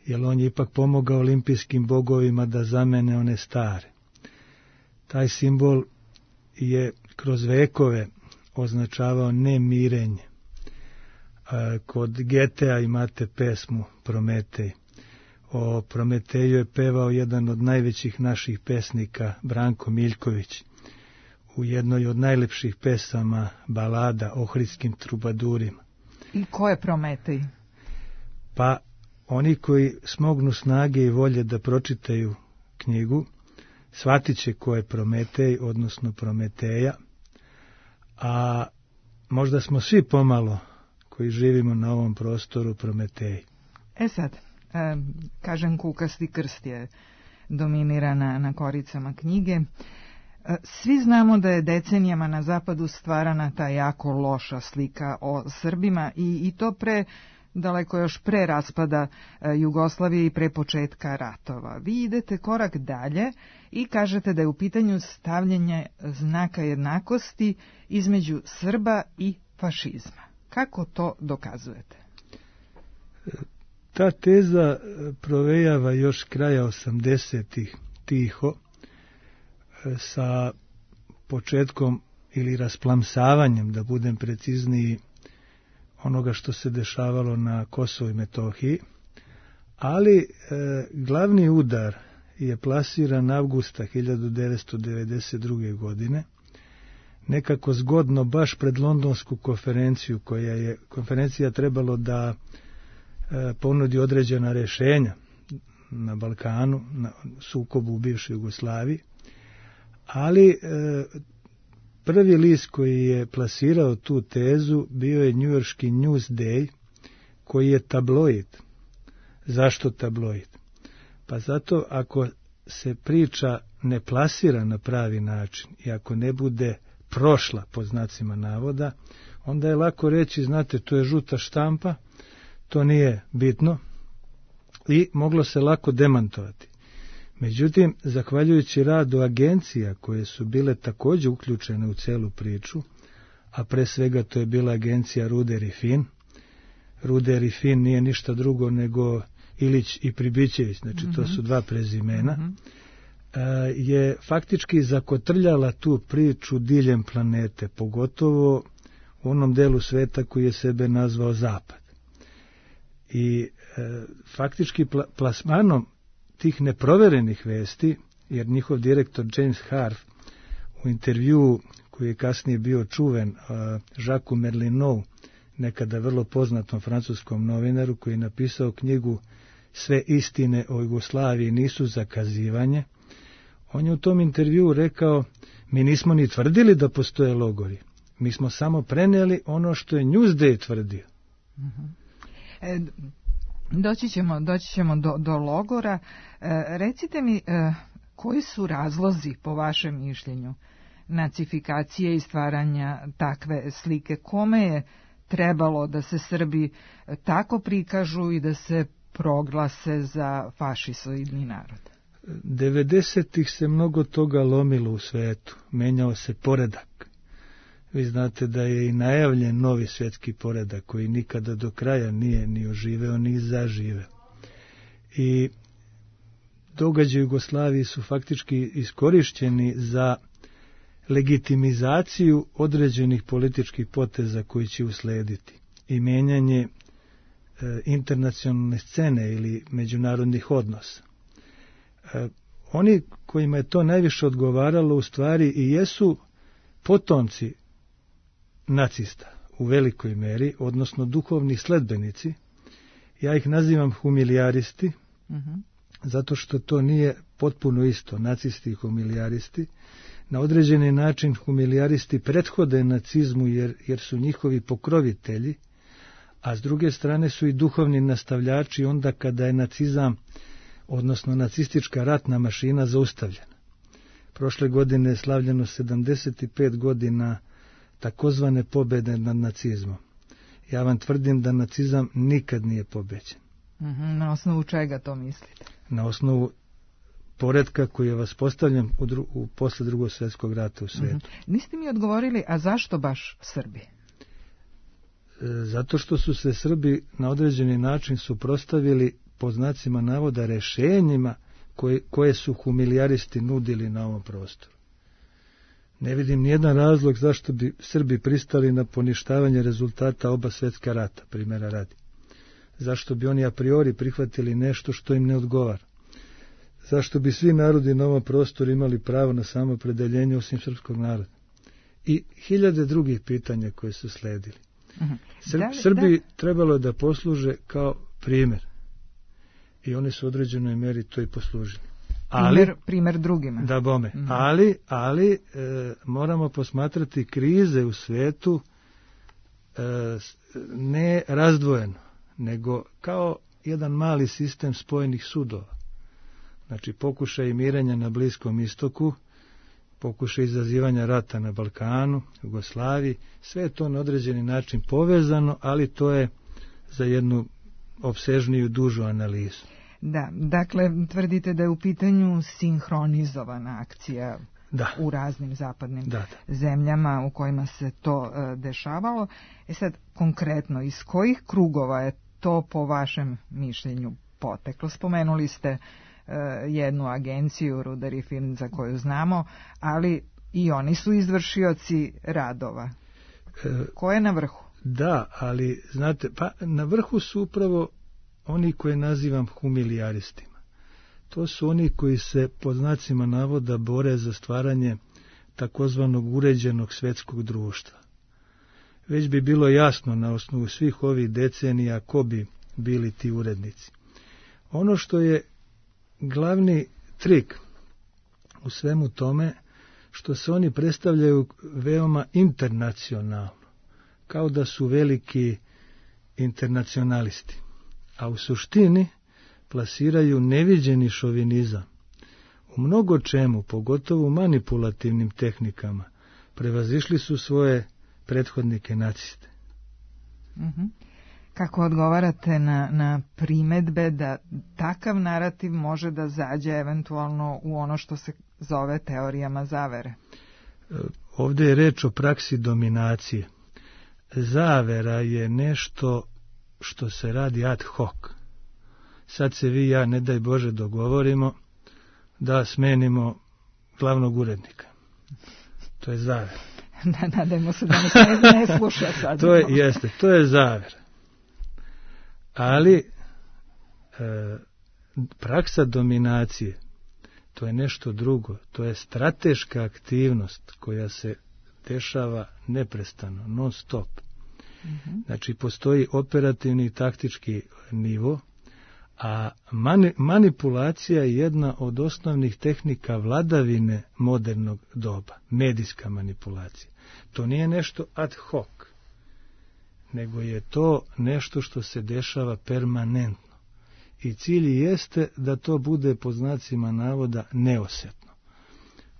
jer on je ipak pomogao olimpijskim bogovima da zamene one stare. Taj simbol je kroz vekove označavao nemirenje. Kod Getea imate pesmu Prometej. O Prometeju je pevao jedan od najvećih naših pesnika, Branko Miljković, u jednoj od najlepših pesama balada Ohridskim trubadurima. I ko je Prometej? Pa oni koji smognu snage i volje da pročitaju knjigu, shvatit će ko je Prometej, odnosno Prometeja, a možda smo svi pomalo koji živimo na ovom prostoru Prometeji. Sad, kažem kukasti krst je dominira na koricama knjige. Svi znamo da je decenijama na zapadu stvarana ta jako loša slika o Srbima i to daleko još pre raspada Jugoslavije i pre početka ratova. Vi idete korak dalje i kažete da je u pitanju stavljanje znaka jednakosti između Srba i fašizma. Kako to dokazujete? Ta teza provejava još kraja 80-ih tiho, sa početkom ili rasplamsavanjem, da budem precizniji, onoga što se dešavalo na Kosovu i Metohiji, ali glavni udar je plasiran avgusta 1992. godine, nekako zgodno baš pred Londonsku konferenciju, koja je konferencija trebalo da ponudi određena rešenja na Balkanu, na sukobu u bivšoj Jugoslaviji, ali prvi list koji je plasirao tu tezu bio je njujorški Newsday, koji je tabloid. Zašto tabloid? Pa zato ako se priča ne plasira na pravi način i ako ne bude prošla pod znacima navoda, onda je lako reći, znate, to je žuta štampa, to nije bitno i moglo se lako demantovati. Međutim, zahvaljujući radu agencija koje su bile također uključene u celu priču, a pre svega to je bila agencija Ruder i Fin. Ruder i Fin nije ništa drugo nego Ilić i Pribićević, znači to su dva prezimena, je faktički zakotrljala tu priču diljem planete, pogotovo u onom delu sveta koji je sebe nazvao Zapad. I faktički plasmanom tih neproverenih vesti, jer njihov direktor James Harf u intervjuu koji je kasnije bio čuven Jacques Merlinou, nekada vrlo poznatom francuskom novinaru koji je napisao knjigu Sve istine o Jugoslaviji nisu zakazivanje, on je u tom intervjuu rekao, mi nismo ni tvrdili da postoje logori, mi smo samo prenijeli ono što je Newsday tvrdio. Doći ćemo do logora. Recite mi, koji su razlozi, po vašem mišljenju, nacifikacije i stvaranja takve slike? Kome je trebalo da se Srbi tako prikažu i da se proglase za fašisoidni narod? 90-ih se mnogo toga lomilo u svetu, menjao se poredak. Vi znate da je i najavljen novi svjetski poredak koji nikada do kraja nije ni oživeo ni zaživeo. I događaji u Jugoslaviji su faktički iskorišćeni za legitimizaciju određenih političkih poteza koji će uslediti i mijenjanje internacionalne scene ili međunarodnih odnosa. Oni kojima je to najviše odgovaralo u stvari i jesu potomci nacista u velikoj meri, odnosno duhovni sledbenici. Ja ih nazivam humilijaristi, zato što to nije potpuno isto, nacisti i humilijaristi. Na određeni način humilijaristi prethode nacizmu jer su njihovi pokrovitelji, a s druge strane su i duhovni nastavljači onda kada je nacizam, odnosno nacistička ratna mašina, zaustavljena. Prošle godine je slavljeno 75 godina takozvane pobjede nad nacizmom. Ja vam tvrdim da nacizam nikad nije pobeđen. Na osnovu čega to mislite? Na osnovu poretka koji je vaspostavljen posle Drugog svjetskog rata u svijetu. Niste mi odgovorili, a zašto baš Srbi? Zato što su se Srbi na određeni način suprotstavili, po znacima navoda, rešenjima koje su humilijaristi nudili na ovom prostoru. Ne vidim nijedan razlog zašto bi Srbi pristali na poništavanje rezultata oba svjetska rata, primjera radi. Zašto bi oni a priori prihvatili nešto što im ne odgovara? Zašto bi svi narodi na ovom prostoru imali pravo na samoopredeljenje osim srpskog naroda? I hiljade drugih pitanja koje su sledili. Srbi trebalo je da posluže kao primjer. I oni su u određenoj meri to i poslužili. Primjer drugima. Da bome. Ali moramo posmatrati krize u svijetu ne razdvojeno, nego kao jedan mali sistem spojenih sudova. Znači pokušaj mirenja na Bliskom istoku, pokušaj izazivanja rata na Balkanu, Jugoslaviji, sve je to na određeni način povezano, ali to je za jednu opsežniju, dužu analizu. Da, dakle, tvrdite da je u pitanju sinhronizovana akcija u raznim zapadnim zemljama u kojima se to dešavalo. Sad, konkretno, iz kojih krugova je to po vašem mišljenju poteklo? Spomenuli ste jednu agenciju, Rudar i Film, za koju znamo, ali i oni su izvršioci radova. Ko je na vrhu? Da, ali znate, pa na vrhu su upravo oni koje nazivam humilijaristima. To su oni koji se pod znacima navoda bore za stvaranje takozvanog uređenog svjetskog društva. Već bi bilo jasno na osnovu svih ovih decenija ko bi bili ti urednici. Ono što je glavni trik u svemu tome, što se oni predstavljaju veoma internacionalno, kao da su veliki internacionalisti, a u suštini plasiraju neviđeni šovinizam. U mnogo čemu, pogotovo u manipulativnim tehnikama, prevazišli su svoje prethodnike naciste. Kako odgovarate na primedbe da takav narativ može da zađe eventualno u ono što se zove teorijama zavere? Ovdje je reč o praksi dominacije. Zavera je nešto što se radi ad hoc. Sad se vi i ja, ne daj Bože, dogovorimo da smenimo glavnog urednika. To je zavera. Nadajmo se da ne sluša sad. To je zavera. Ali praksa dominacije, to je nešto drugo. To je strateška aktivnost koja se dešava neprestano, non stop. Znači, postoji operativni i taktički nivo, a manipulacija je jedna od osnovnih tehnika vladavine modernog doba, medijska manipulacija. To nije nešto ad hoc, nego je to nešto što se dešava permanentno. I cilj jeste da to bude, po znacima navoda, neosjetno.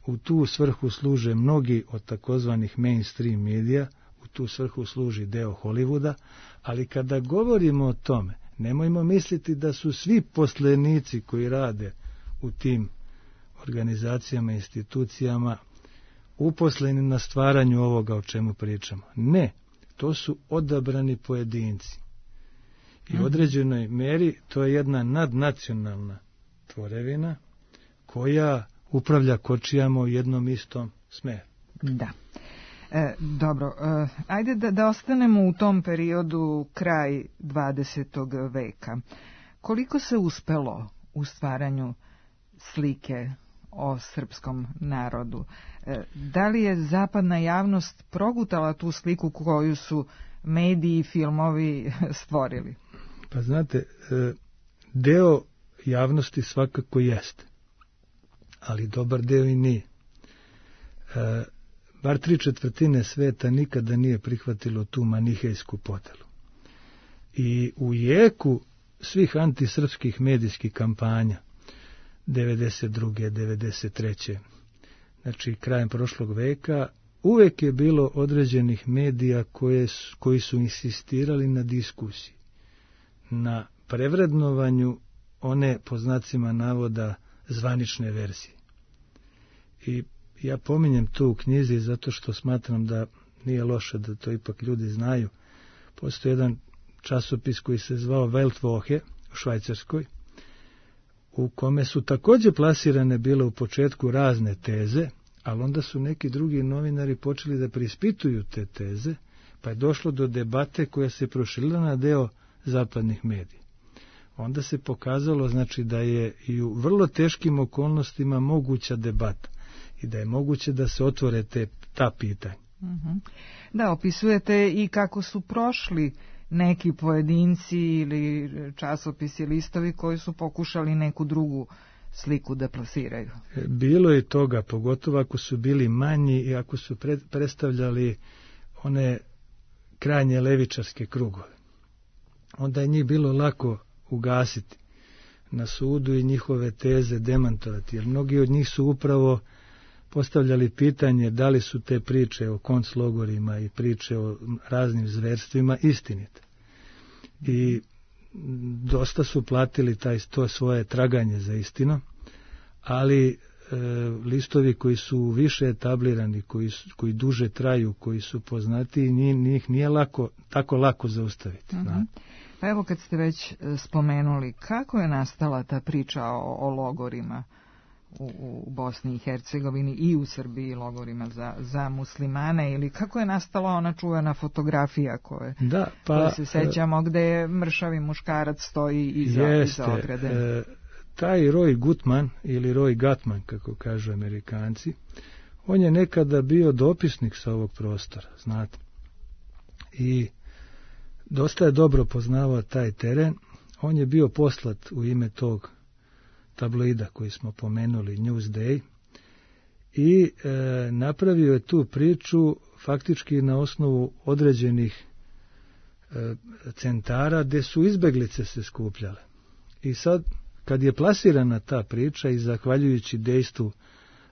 U tu svrhu služe mnogi od takozvanih mainstream medija, u tu svrhu služi deo Hollywooda, ali kada govorimo o tome, nemojmo misliti da su svi poslenici koji rade u tim organizacijama i institucijama uposleni na stvaranju ovoga o čemu pričamo. Ne, to su odabrani pojedinci. I u određenoj meri to je jedna nadnacionalna tvorevina koja upravlja kočijama u jednom istom smeru. Da. Dobro, ajde da ostanemo u tom periodu kraj 20. veka. Koliko se uspelo u stvaranju slike o srpskom narodu? Da li je zapadna javnost progutala tu sliku koju su mediji i filmovi stvorili? Pa znate, deo javnosti svakako jeste, ali dobar deo i nije. Bar 3/4 sveta nikada nije prihvatilo tu manihejsku podelu. I u jeku svih antisrpskih medijskih kampanja 92. 93. znači krajem prošlog veka, uvek je bilo određenih medija koji su insistirali na diskusiji, na prevrednovanju one, po znacima navoda, zvanične verzije. I ja pominjem to u knjizi zato što smatram da nije loše da to ipak ljudi znaju. Postoji jedan časopis koji se zvao Weltwoche u Švajcarskoj, u kome su također plasirane bile u početku razne teze, ali onda su neki drugi novinari počeli da preispituju te teze, pa je došlo do debate koja se proširila na deo zapadnih medija. Onda se pokazalo, znači, da je i u vrlo teškim okolnostima moguća debata i da je moguće da se otvore ta pitanja. Da, opisujete i kako su prošli neki pojedinci ili časopisi, listovi koji su pokušali neku drugu sliku da plasiraju. Bilo je toga, pogotovo ako su bili manji i ako su predstavljali one krajnje levičarske krugove. Onda je njih bilo lako ugasiti na sudu i njihove teze demantovati, jer mnogi od njih su upravo postavljali pitanje da li su te priče o konclogorima i priče o raznim zverstvima istinite. I dosta su platili to svoje traganje za istinu, ali listovi koji su više etablirani, koji duže traju, koji su poznati, njih nije tako lako zaustaviti. Pa evo, kad ste već spomenuli, kako je nastala ta priča o logorima u Bosni i Hercegovini i u Srbiji, logorima za muslimane, ili kako je nastala ona čuvena fotografija koje se sećamo, gde je mršavi muškarac stoji iza ograde? Taj Roy Gutman ili Roy Gatman, kako kažu Amerikanci, on je nekada bio dopisnik sa ovog prostora, znate. I dosta je dobro poznavao taj teren. On je bio poslat u ime tog tabloida koji smo pomenuli, Newsday, i napravio je tu priču faktički na osnovu određenih centara gde su izbeglice se skupljale. I sad, kad je plasirana ta priča i zahvaljujući dejstvu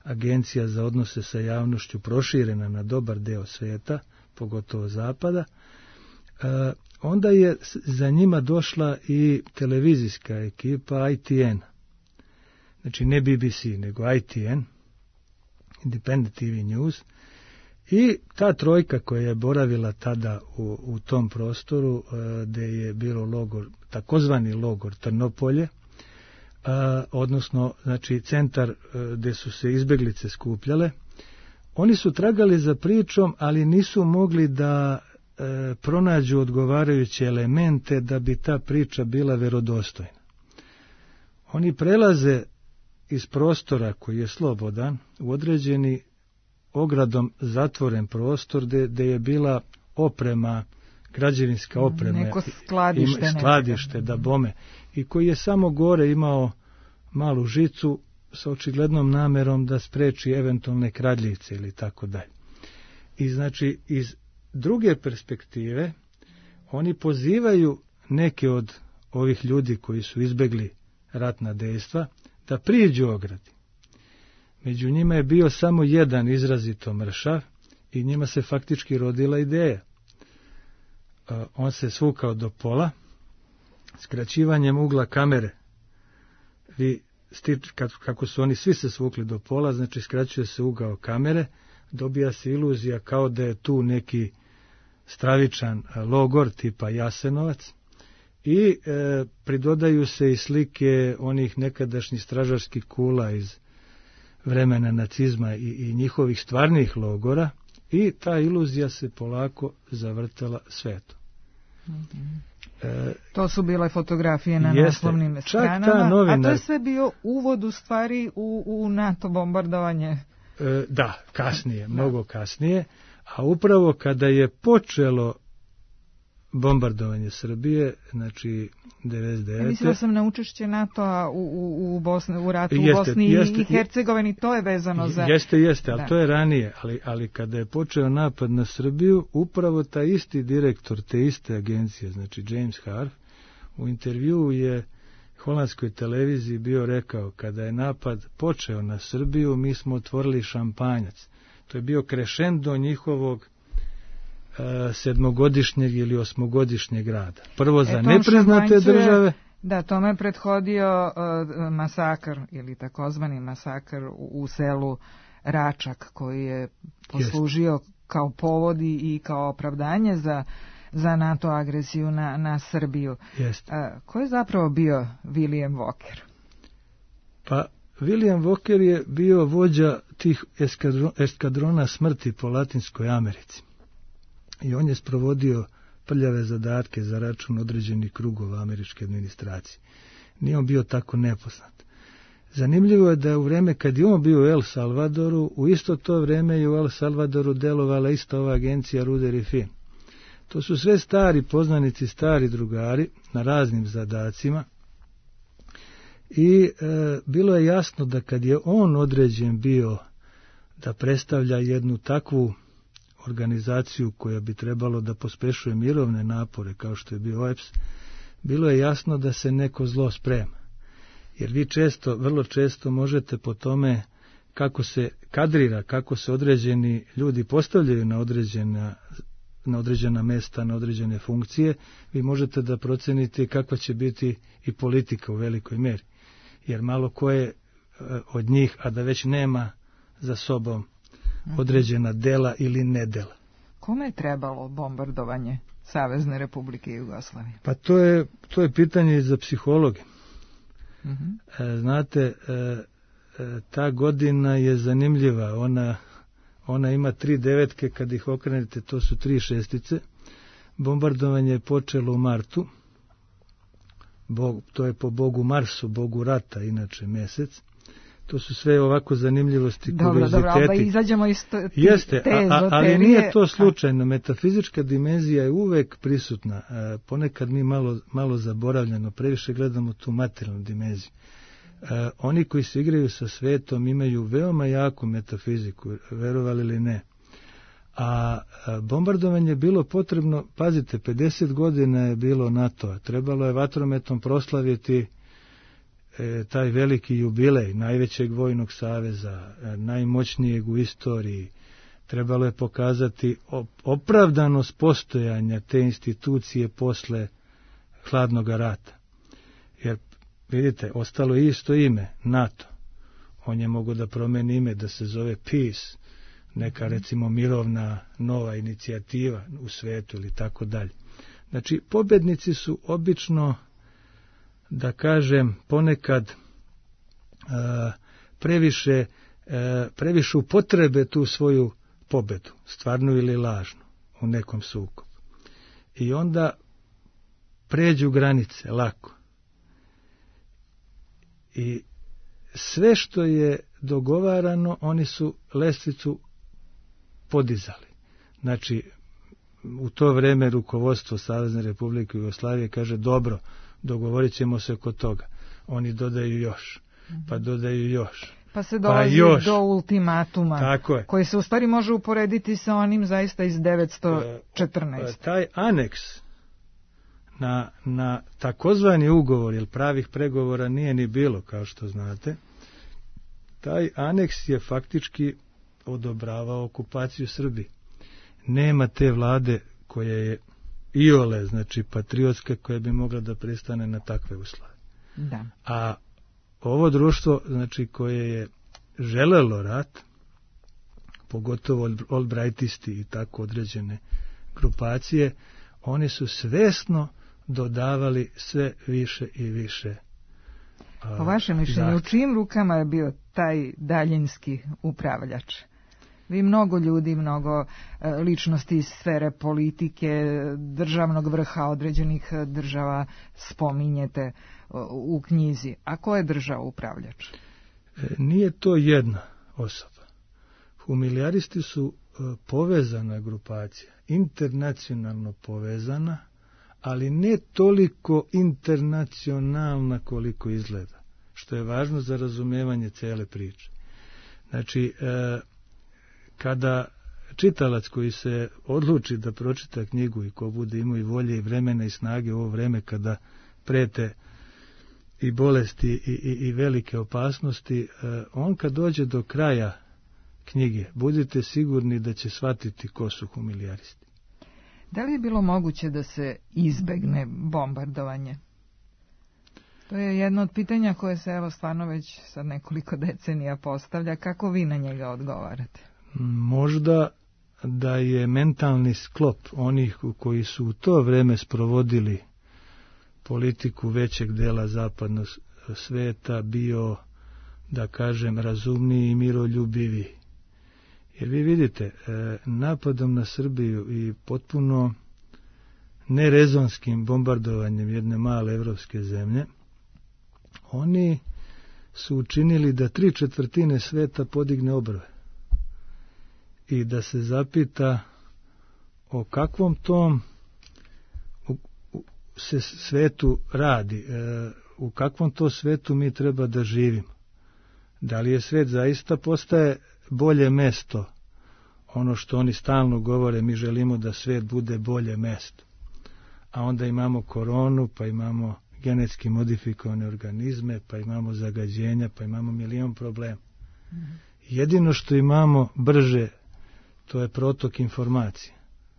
Agencija za odnose sa javnošću proširena na dobar deo sveta, pogotovo zapada, onda je za njima došla i televizijska ekipa ITN. Znači ne BBC, nego ITN, Independent TV News, i ta trojka koja je boravila tada u tom prostoru gde je bilo logor, takozvani logor Trnopolje, odnosno znači centar gde su se izbeglice skupljale, oni su tragali za pričom, ali nisu mogli da pronađu odgovarajuće elemente da bi ta priča bila verodostojna. Oni prelaze iz prostora koji je slobodan u određeni ogradom zatvoren prostor gde je bila oprema, građevinska oprema, neko skladište da bome, i koji je samo gore imao malu žicu sa očiglednom namerom da spreči eventualne kradljivce ili tako dalje. I znači iz druge perspektive oni pozivaju neke od ovih ljudi koji su izbegli ratna dejstva da priđu ogradi. Među njima je bio samo jedan izrazito mršav i njima se faktički rodila ideja. On se svukao do pola, skraćivanjem ugla kamere. Kako su oni svi se svukli do pola, znači skraćuje se ugao kamere, dobija se iluzija kao da je tu neki stravičan logor tipa Jasenovac, i pridodaju se i slike onih nekadašnjih stražarskih kula iz vremena nacizma i njihovih stvarnih logora, i ta iluzija se polako zavrtela svetom. To su bile fotografije na naslovnim stranama, a to je sve bio uvod u stvari u NATO bombardovanje. Da, kasnije, mnogo kasnije, a upravo kada je počelo bombardovanje Srbije, znači 99. Mislila sam na učešće NATO-a u ratu u Bosni i Hercegovini, to je vezano za... Jeste, ali to je ranije, ali kada je počeo napad na Srbiju, upravo taj isti direktor te iste agencije, znači James Harf, u intervjuu je holandskoj televiziji bio rekao, kada je napad počeo na Srbiju, mi smo otvorili šampanjac. To je bio krešendo njihovog 7-godišnjeg ili 8-godišnjeg rada. Prvo za nepriznate države. Da, tome je prethodio masakr ili takozvani masakr u selu Račak, koji je poslužio kao povod i kao opravdanje za NATO agresiju na Srbiju. Ko je zapravo bio William Walker? Pa William Walker je bio vođa tih eskadrona smrti po Latinskoj Americi. I on je sprovodio prljave zadatke za račun određenih krugova američke administracije. Nije on bio tako nepoznat. Zanimljivo je da u vreme kad je on bio u El Salvadoru, u isto to vreme je u El Salvadoru delovala ista ova agencija Ruder i Finn. To su sve stari poznanici, stari drugari na raznim zadacima i bilo je jasno da kad je on određen bio da predstavlja jednu takvu organizaciju koja bi trebalo da pospešuje mirovne napore kao što je bio OEBS, bilo je jasno da se neko zlo sprema. Jer vi vrlo često možete po tome kako se kadrira, kako se određeni ljudi postavljaju na određena mesta, na određene funkcije, vi možete da procenite kakva će biti i politika u velikoj meri. Jer malo ko je od njih, a da već nema za sobom određena dela ili nedela. Kome je trebalo bombardovanje Savezne Republike Jugoslavije? Pa to je pitanje za psihologe. Znate, ta godina je zanimljiva. Ona ima 3 devetke, kad ih okrenete, to su 3 šestice. Bombardovanje je počelo u martu. To je po bogu Marsu, bogu rata, inače mesec. To su sve ovako zanimljivosti, kurioziteti. Dobro, ali izađemo iz ali nije to slučajno. Metafizička dimenzija je uvek prisutna. Ponekad mi malo zaboravljamo, previše gledamo tu materijalnu dimenziju. Oni koji se igraju sa svetom imaju veoma jaku metafiziku, verovali ili ne. A bombardovanje je bilo potrebno, pazite, 50 godina je bilo NATO-a. Trebalo je vatrometom proslaviti taj veliki jubilej najvećeg vojnog saveza, najmoćnijeg u istoriji. Trebalo je pokazati opravdanost postojanja te institucije posle hladnog rata. Jer, vidite, ostalo je isto ime, NATO. On je mogao da promeni ime, da se zove Peace, neka recimo mirovna nova inicijativa u svetu ili tako dalje. Znači, pobednici su obično, da kažem, ponekad previše upotrebe tu svoju pobedu, stvarnu ili lažnu, u nekom sukobu. I onda pređu granice lako. I sve što je dogovarano, oni su lestvicu podizali. Znači, u to vreme rukovodstvo Savezne Republike Jugoslavije kaže, dobro, dogovorit ćemo se oko toga. Oni dodaju još, pa dodaju još. Pa se dolazi do ultimatuma, koji se u stvari može uporediti sa onim zaista iz 914. Taj aneks na takozvani ugovor, jer pravih pregovora nije ni bilo, kao što znate, taj aneks je faktički odobravao okupaciju Srbije. Nema te vlade koja je iole, znači patriotska, koja bi mogla da pristane na takve uslove. Da. A ovo društvo, znači, koje je želelo rat, pogotovo Albrightisti i tako određene grupacije, oni su svesno dodavali sve više i više. Po vašem mišljenju, u čijim rukama je bio taj daljinski upravljač? Vi mnogo ljudi, mnogo ličnosti iz sfere politike, državnog vrha određenih država spominjete u knjizi. A ko je država upravljač? Nije to jedna osoba. Humilijaristi su povezana grupacija, internacionalno povezana, ali ne toliko internacionalna koliko izgleda, što je važno za razumevanje cele priče. Znači, kada čitalac koji se odluči da pročita knjigu i ko bude imao i volje i vremena i snage u ovo vreme kada prete i bolesti i velike opasnosti, on kad dođe do kraja knjige, budite sigurni da će shvatiti ko su humilijaristi. Da li je bilo moguće da se izbegne bombardovanje? To je jedno od pitanja koje se evo stvarno već sad nekoliko decenija postavlja. Kako vi na njega odgovarate? Možda da je mentalni sklop onih koji su u to vreme sprovodili politiku većeg dela zapadnog sveta bio, da kažem, razumniji i miroljubiviji. Jer vi vidite, napadom na Srbiju i potpuno nerezonskim bombardovanjem jedne male evropske zemlje, oni su učinili da 3/4 sveta podigne obrve i da se zapita o kakvom tom se svetu radi, u kakvom to svetu mi treba da živimo. Da li je svet zaista postaje bolje mesto, ono što oni stalno govore, mi želimo da svet bude bolje mesto. A onda imamo koronu, pa imamo genetski modifikovane organizme, pa imamo zagađenja, pa imamo milion problema. Jedino što imamo brže, to je protok informacije.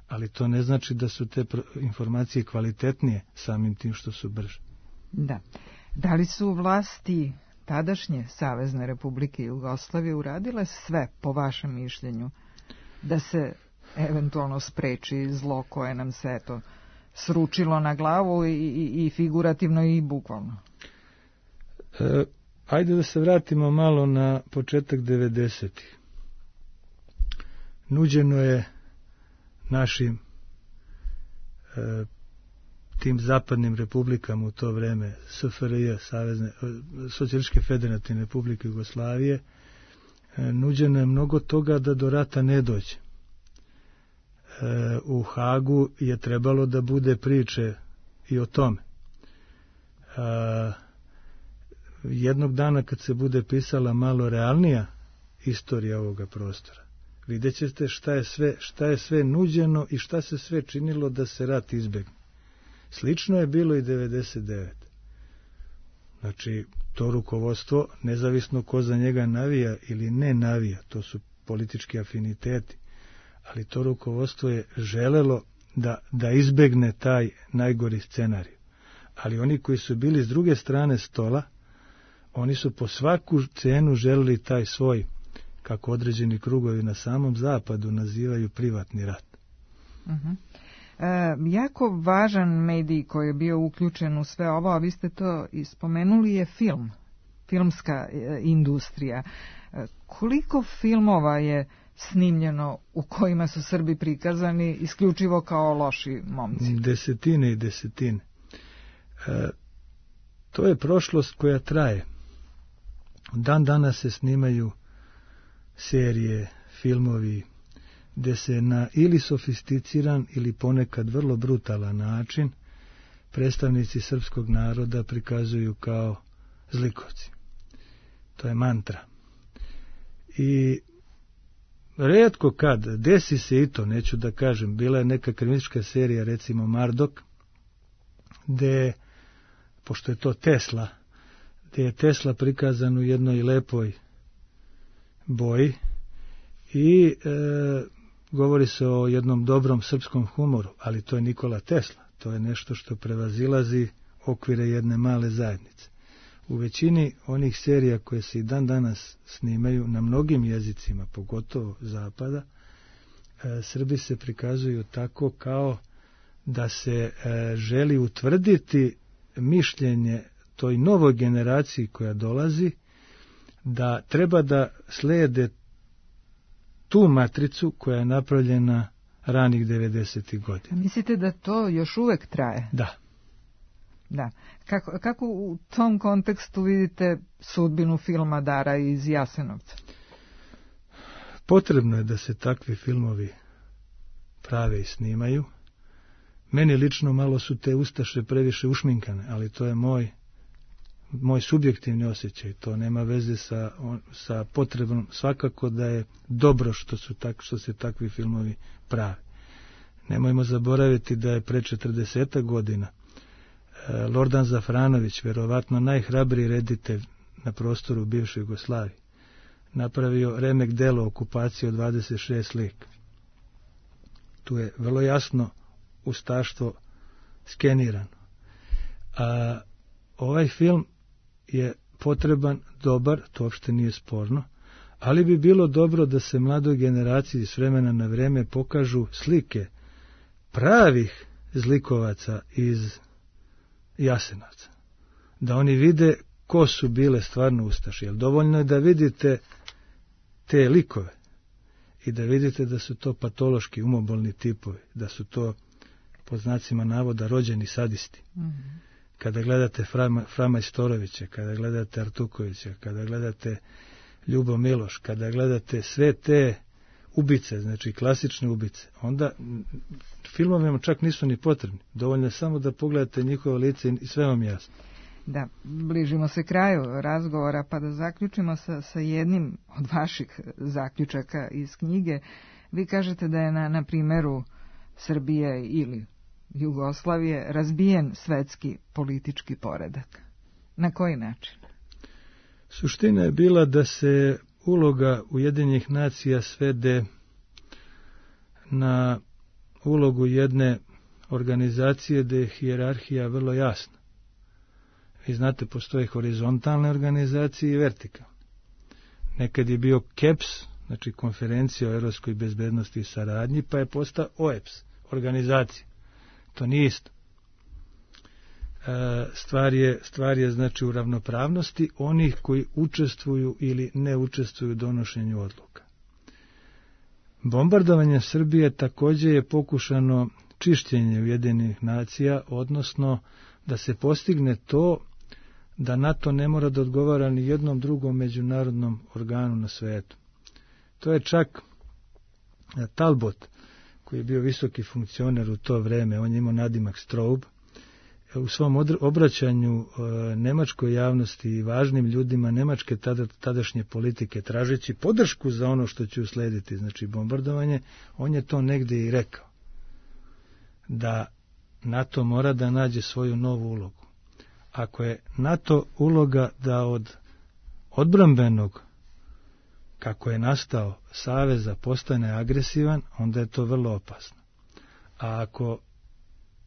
Ali to ne znači da su te informacije kvalitetnije samim tim što su brže. Da. Da li su vlasti tadašnje Savezne Republike Jugoslavije uradile sve, po vašem mišljenju, da se eventualno spreči zlo koje nam se eto sručilo na glavu i figurativno i bukvalno? Ajde da se vratimo malo na početak 90-ih. Nuđeno je našim tim zapadnim republikama u to vreme, SFRJ, Socijalističke federativne republike Jugoslavije, nuđeno je mnogo toga da do rata ne dođe. U Hagu je trebalo da bude priče i o tome. Jednog dana kad se bude pisala malo realnija istorija ovoga prostora, vidjet ćete šta je sve nuđeno i šta se sve činilo da se rat izbegne. Slično je bilo i 99. Znači, to rukovodstvo, nezavisno ko za njega navija ili ne navija, to su politički afiniteti, ali to rukovodstvo je želelo da izbegne taj najgori scenarij. Ali oni koji su bili s druge strane stola, oni su po svaku cenu želeli taj svoj, kako određeni krugovi na samom zapadu nazivaju, privatni rat. Jako važan medij koji je bio uključen u sve ovo, a vi ste to ispomenuli, je film, filmska industrija. Koliko filmova je snimljeno u kojima su Srbi prikazani isključivo kao loši momci? Desetine i desetine. To je prošlost koja traje. Dan danas se snimaju serije, filmovi, gde se na ili sofisticiran ili ponekad vrlo brutalan način predstavnici srpskog naroda prikazuju kao zlikovci. To je mantra. I rijetko kad, desi se i to, neću da kažem, bila je neka kriminalistička serija, recimo Mardok, gde, pošto je to Tesla, gde je Tesla prikazan u jednoj lepoj boji i govori se o jednom dobrom srpskom humoru, ali to je Nikola Tesla, to je nešto što prevazilazi okvire jedne male zajednice. U većini onih serija koje se i dan danas snimaju na mnogim jezicima, pogotovo zapada, Srbi se prikazuju tako kao da se želi utvrditi mišljenje toj novoj generaciji koja dolazi, da treba da slijede tu matricu koja je napravljena ranih 90. godina. Mislite da to još uvek traje? Da. Da. Kako u tom kontekstu vidite sudbinu filma Dara iz Jasenovca? Potrebno je da se takvi filmovi prave i snimaju. Meni lično malo su te ustaše previše ušminkane, ali to je moj subjektivni osjećaj. To nema veze sa potrebom. Svakako da je dobro što se takvi filmovi prave. Nemojmo zaboraviti da je pre 40 godina Lordan Zafranović, verovatno najhrabriji reditelj na prostoru bivše Jugoslavije, napravio remek delo okupacije od 26 lika. Tu je vrlo jasno ustaštvo skenirano. A ovaj film je potreban, dobar, to uopšte nije sporno, ali bi bilo dobro da se mladoj generaciji s vremena na vreme pokažu slike pravih zlikovaca iz Jasenovca. Da oni vide ko su bile stvarno ustaše. Jer dovoljno je da vidite te likove i da vidite da su to patološki umobolni tipovi, da su to pod znacima navoda rođeni sadisti. Mm-hmm. Kada gledate Frama Istorovića, kada gledate Artukovića, kada gledate Ljubo Miloš, kada gledate sve te ubice, znači klasične ubice, onda filmovima čak nisu ni potrebni. Dovoljno je samo da pogledate njihovo lice i sve vam jasno. Da, bližimo se kraju razgovora, pa da zaključimo sa jednim od vaših zaključaka iz knjige. Vi kažete da je na primjeru Srbije ili Jugoslavije razbijen svetski politički poredak. Na koji način? Suština je bila da se uloga Ujedinjenih nacija svede na ulogu jedne organizacije gde je hijerarhija vrlo jasna. Vi znate, postoje horizontalne organizacije i vertikalne. Nekad je bio KEPS, znači Konferencija o europskoj bezbednosti i saradnji, pa je postao OEPS, organizacija. To nije isto. Stvar je znači u ravnopravnosti onih koji učestvuju ili ne učestvuju u donošenju odluka. Bombardovanje Srbije također je pokušano čišćenje Ujedinjenih nacija, odnosno da se postigne to da NATO ne mora da odgovara ni jednom drugom međunarodnom organu na svetu. To je čak Talbot, koji je bio visoki funkcioner u to vreme, on je imao nadimak Straub, u svom obraćanju nemačkoj javnosti i važnim ljudima nemačke tadašnje politike, tražeći podršku za ono što će uslediti, znači bombardovanje, on je to negdje i rekao, da NATO mora da nađe svoju novu ulogu. Ako je NATO uloga da od odbrambenog, kako je nastao, saveza postane agresivan, onda je to vrlo opasno. A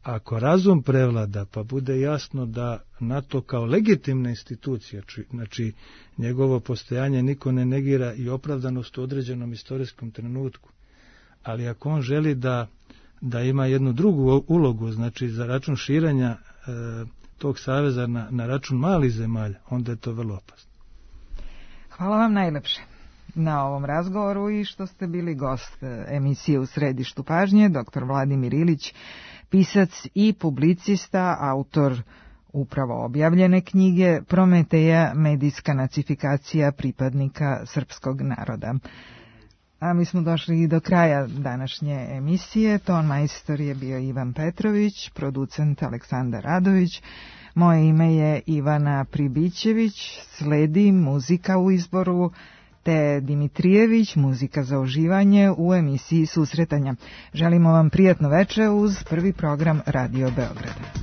ako razum prevlada, pa bude jasno da NATO kao legitimna institucija, znači njegovo postojanje niko ne negira i opravdanost u određenom istorijskom trenutku, ali ako on želi da ima jednu drugu ulogu, znači za račun širenja tog saveza na račun malih zemalja, onda je to vrlo opasno. Hvala vam najlepše na ovom razgovoru i što ste bili gost emisije U središtu pažnje, dr. Vladimir Ilić, pisac i publicista, autor upravo objavljene knjige Prometeja, medijska nacifikacija pripadnika srpskog naroda. A mi smo došli i do kraja današnje emisije. Ton majstor je bio Ivan Petrović, producent Aleksandar Radović. Moje ime je Ivana Pribićević, sledi muzika u izboru te Dimitrijević, muzika za uživanje u emisiji Susretanja. Želimo vam prijatno veče uz prvi program Radio Beograda.